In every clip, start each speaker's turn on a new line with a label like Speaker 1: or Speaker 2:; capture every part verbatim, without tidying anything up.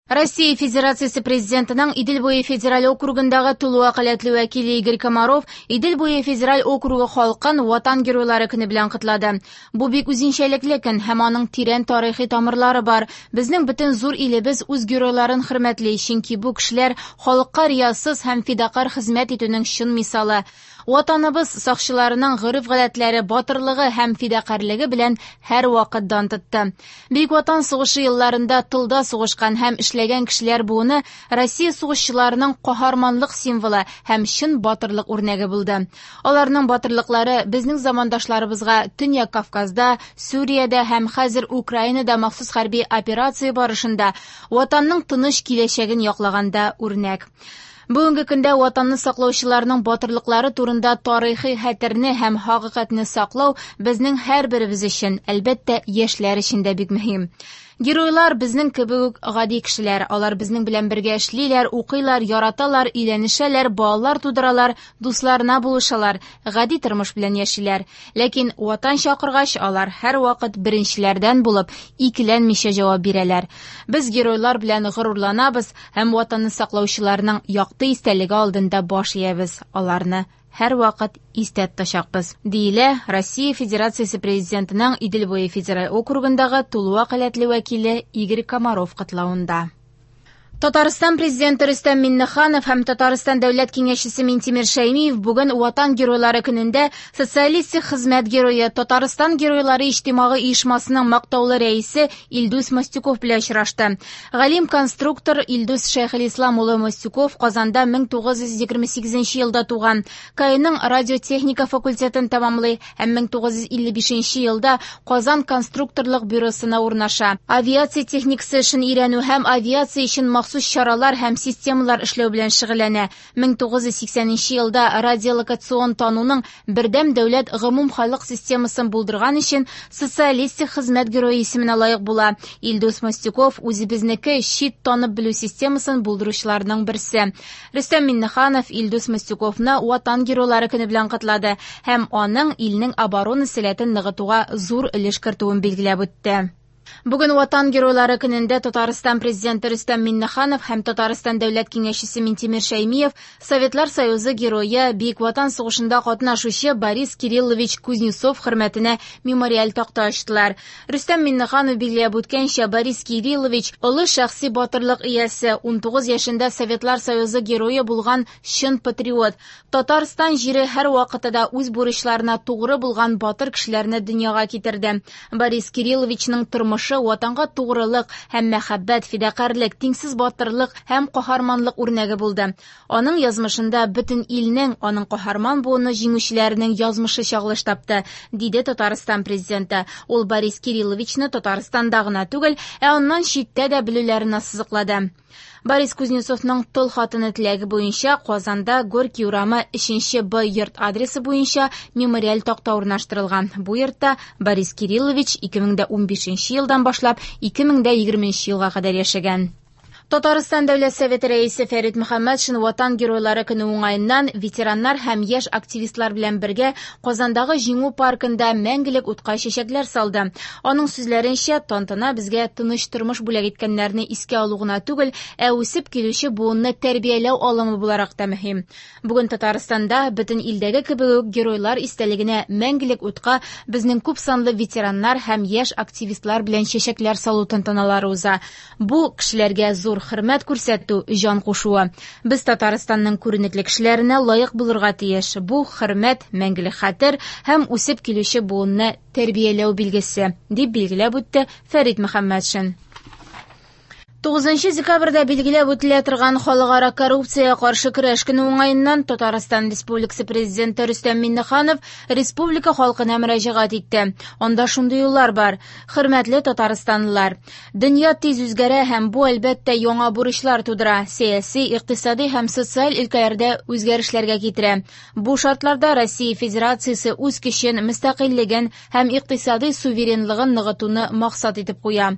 Speaker 1: Россия Федерациясе Президентының Идел буе федераль округындагы тулы вәкаләтле вәкиле Игорь Комаров Идел буе федераль округы халкын Ватан геройлары көне белән котлады. Бу бик үзенчәлекле көн һәм аның тирән тарихи тамырлары бар. Безнең бөтен зур илебез үз геройларын хөрмәтли, чөнки бу кешеләр халыкка риясыз һәм фидакарь хезмәт итүнең чын мисалы. Ватаныбыз сакчыларының гореф-гадәтләре, батырлыгы һәм фидакарьлеге белән һәрвакыт дан тотты. Бөек Ватан сугышы елларында тылда сугышкан һәм эшләгән кешеләр буыны Россия сугышчыларының каһарманлык символы һәм чын батырлык үрнәге булды. Аларның батырлыклары безнең замандашларыбызга Төньяк Кавказда, Сүриядә һәм хәзер Украинада махсус хәрби операция барышында Ватанның тыныч киләчәген яклаганда үрнәк. Бүгенге көндә Ватанны саклаучыларның батырлыклары турында тарихи хәтерне һәм хакыйкатьне саклау безнең һәрберебез өчен, әлбәттә, яшьләр өчен дә бик мөһим. Геройлар безнең кебек үк гади кешеләр. Алар безнең белән бергә эшлиләр, укыйлар, яраталар, өйләнешәләр, балалар тудыралар, дусларына булышалар, гади тормыш белән яшиләр. Ләкин Ватан чакыргач, алар һәрвакыт беренчеләрдән булып, икеләнмичә җавап бирәләр. Без геройлар белән горурланабыз һәм Ватанны саклаучыларның якты истәлеге алдында баш иябез. Аларны һәрвакыт истә тотачакбыз, диелә Россия Федерациясе Президентының Идел буе федераль округындагы тулы вәкаләтле вәкиле Игорь Комаров котлавында. Татарстан Президенты Рөстәм Миңнеханов һәм Татарстан Дәүләт Киңәшчесе Минтимер Шәймиев бүген Ватан геройлары көнендә Социалистик хезмәт герое, Татарстан геройлары иҗтимагый оешмасының мактаулы рәисе Илдус Мостюков белән очрашты. Галим-конструктор Илдус Шәйхелислам улы Мостюков Казанда мең тугыз йөз егерме сигезенче елда туган. КАИның радиотехника факультетын тәмамлый һәм мең тугыз йөз илле бишенче елда Казан конструкторлык бюросына урнаша. Авиация техникасы эшен өйрәнү һәм авиация өчен махсус чаралар һәм системалар эшләү белән шөгыльләнә. мең тугыз йөз сиксәненче елда радиолокацион тануның бердәм дәүләт гомумхалык системасын булдырган өчен Социалистик хезмәт герое исеменә лаек була. Илдус Мостюков үзебезнеке чит танып белү системасын булдыручыларның берсе. Рөстәм Миңнеханов Илдус Мостюковны Ватан геройлары көне белән котлады һәм аның илнең оборона сәләтен ныгытуга зур өлеш кертүен билгеләп үтте. Бүген Ватан геройлары көнендә Татарстан Президенты Рөстәм Миңнеханов һәм Татарстан Дәүләт Киңәшчесе Минтимер Шәймиев Советлар Союзы герое, Бөек Ватан сугышында катнашучы Борис Кириллович Кузнецов хөрмәтенә мемориаль такта ачтылар. Рөстәм Миңнеханов билгеләп үткәнчә, Борис Кириллович олы шәхси батырлык иясе, ун тугыз яшендә Советлар Союзы герое булган чын патриот. Татарстан җире һәрвакытта да үз бурычларына тугры булган батыр кешеләрне дөньяга китерде. Борис Кирилловичның тормышы Ватанга тугрылык һәм мәхәббәт, фидакарьлек, тиңсез батырлык һәм каһарманлык үрнәге булды. Аның язмышында бөтен илнең, аның каһарман буыны җиңүчеләренең язмышы чагылыш тапты, диде Татарстан Президенты. Ул Борис Кирилловичны Татарстанда гына түгел, ә аннан читтә дә белүләрен ассызыклады. Борис Кузнецовның тол хатыны теләге буенча Казанда Горький урамы өченче Б йорт адресы буенча мемориаль такта урнаштырылган. Бу йортта Борис Кириллович ике мең дә унбишенче елдан башлап ике мең дә егерменче елга кадәр яшәгән. Татарстан Дәүләт Советы рәисе Фәрит Мөхәммәтшин Ватан геройлары көне уңаеннан ветераннар һәм яшь активистлар белән бергә Казандагы Җиңү паркында мәңгелек утка чәчәкләр салды. Аның сүзләренчә, тантана безгә тыныч тормыш бүләк иткәннәрне искә алу гына түгел, ә үсеп килүче буынны тәрбияләү алымы буларак та мөһим. Бүген Татарстанда бөтен илдәге кебек үк геройлар истәлегенә мәңгелек утка безнең күп санлы ветераннар һәм яшь активистлар белән чәчәкләр салу тантаналары уза. Бу кешеләргә зур хөрмәт күрсәтү, җан кушуы. Без Татарстанның күренекле кешеләренә лаек булырга тиеш. Бу хөрмәт, мәңгелек хәтер һәм үсеп килүче буынны тәрбияләү билгесе, дип билгеләп үтте Фәрит Мөхәммәтшин. Тугызынчы декабрьдә билгеләп үтелә торган халыкара коррупциягә каршы көрәш көне уңаеннан Татарстан Республикасы Президенты Рөстәм Миңнеханов республика халкына мөрәҗәгать итте. Анда шундый юллар бар: Хөрмәтле татарстанлылар, дөнья тиз үзгәрә һәм бу әлбәттә яңа бурычлар тудыра, сәяси, икътисади һәм социаль өлкәләрдә үзгәрешләргә китерә. Бу шартларда Россия Федерациясе үз көчен, мөстәкыйльлеген һәм икътисади суверенлыгын ныгытуны максат итеп куя.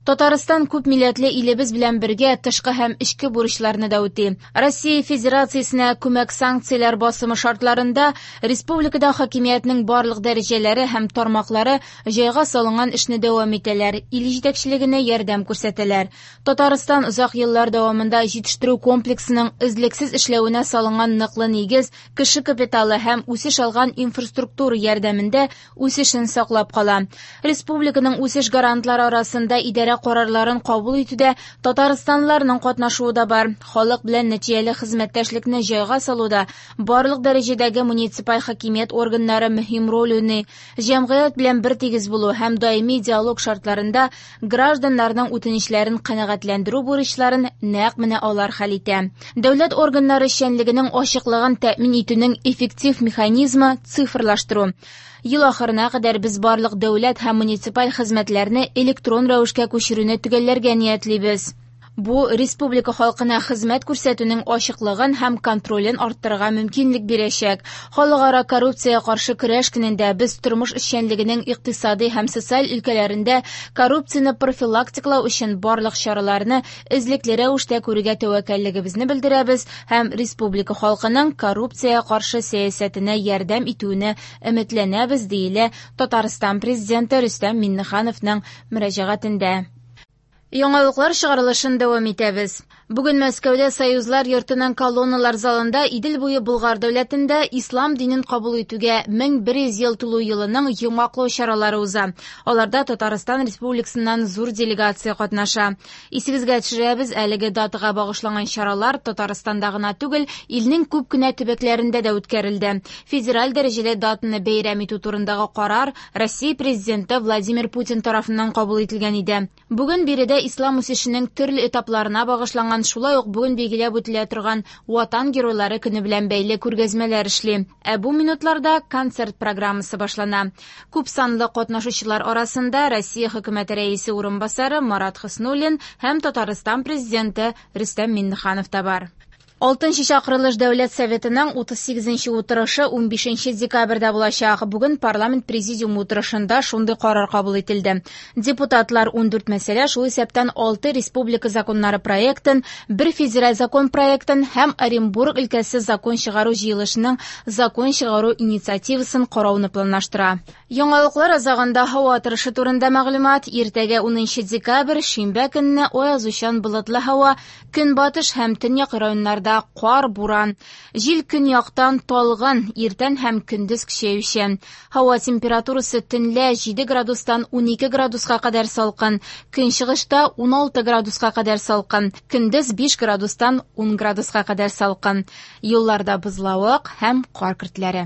Speaker 1: Татарстан күп милләтле илебез белән бергә тышкы һәм эчке бурычларны да үти. Россия Федерациясенә күмәк санкцияләр басымы шартларында республикада хакимиятнең барлык дәрәҗәләре һәм тармаклары җайга салынган эшне дәвам итәләр, ил җитәкчелегенә ярдәм күрсәтәләр. Татарстан озак еллар дәвамында җитештерү комплексының эзлексез эшләвенә салынган ныклы нигез, кеше капиталы һәм үсеш алган инфраструктура ярдәмендә үсешен саклап кала. Республиканың үсеш гарантлары арасында идарә карарларын кабул итүдә татарстанлыларның катнашуы да бар. Халык белән нәтиҗәле хезмәттәшлекне җайга салуда барлык дәрәҗәдәге муниципаль хакимият органнары мөһим роль уйный. Җәмгыять белән бертигез булу һәм даими диалог шартларында гражданнарның үтенечләрен канәгатьләндерү бурычларын нәкъ менә алар хәл итә. Дәүләт органнары эшчәнлегенең ачыклыгын тәэмин итүнең эффектив механизмы цифрлаштыру. Ел ахырына кадәр без барлык дәүләт һәм муниципаль хезмәтләрне электрон рәвешкә күчерүне төгәлләргә ниятлибез. Бу республика халкына хезмәт күрсәтүнең ачыклыгын һәм контролен арттырырга мөмкинлек бирәчәк. Халыкара коррупциягә каршы көрәш көнендә без тормыш эшчәнлегенең икътисади һәм социаль өлкәләрендә коррупцияне профилактикалау өчен барлык чараларны эзлекле рәвештә күрергә тәвәккәллегебезне белдерәбез һәм республика халкының коррупциягә каршы сәясәтенә ярдәм итүенә өметләнәбез, диелә Татарстан президенты Рөстәм Миңнехановның мөрәҗәгатендә. Яңалыклар чыгарылышын дәвам итәбез. Бүген Мәскәүдә Союзлар йортының колонналар залында Идел буе Болгар дәүләтендә ислам динен кабул итүгә мең бер йөз ел тулу елының йомгаклау чаралары уза. Аларда Татарстан Республикасыннан зур делегация катнаша. Исегезгә төшерәбез, әлеге датага багышланган чаралар Татарстанда гына түгел, илнең күп кенә төбәкләрендә дә үткәрелде. Федераль дәрәҗәдә датаны бәйрәм итү турындагы карар Россия президенты Владимир Путин тарафыннан кабул ителгән иде. Бүген биредә ислам үсешенең төрле этапларына багышланган, шулай ук бүген билгеләп үтелә торган Ватан геройлары көне белән бәйле күргәзмәләр эшли. Ә бу минутларда концерт программасы башлана. Күп санлы катнашучылар арасында Россия хөкүмәте рәисе урынбасары Марат Хөснуллин һәм Татарстан президенты Рөстәм Миңнеханов та бар. Алтынчы чакырылыш Дәүләт Советының утыз сигезенче утырышы унбишенче декабрьдә булачак. Бүген парламент президиумы утырышында шундый карар кабул ителде. Депутатлар ундүрт мәсьәлә, шул исәптән алты республика законнары проектын, бер федераль закон проектын һәм Оренбург өлкәсе закон чыгару җыелышының закон чыгару инициативасын карауны планлаштыра. Яңалыклар азагында һава торышы турында мәгълүмат. Иртәгә унынчы декабрь, шимбә көнне аязучан болытлы һава, көнбатыш һәм төньяк районнарда кар, буран. Җил көньяктан талгын, иртән һәм көндез көчәючән. Һава температурасы төнлә җиде градустан унике градуска кадәр салкын, көнчыгышта уналты градуска кадәр салкын, көндез биш градустан ун градуска кадәр салкын. Юлларда бозлавык һәм кар көртләре.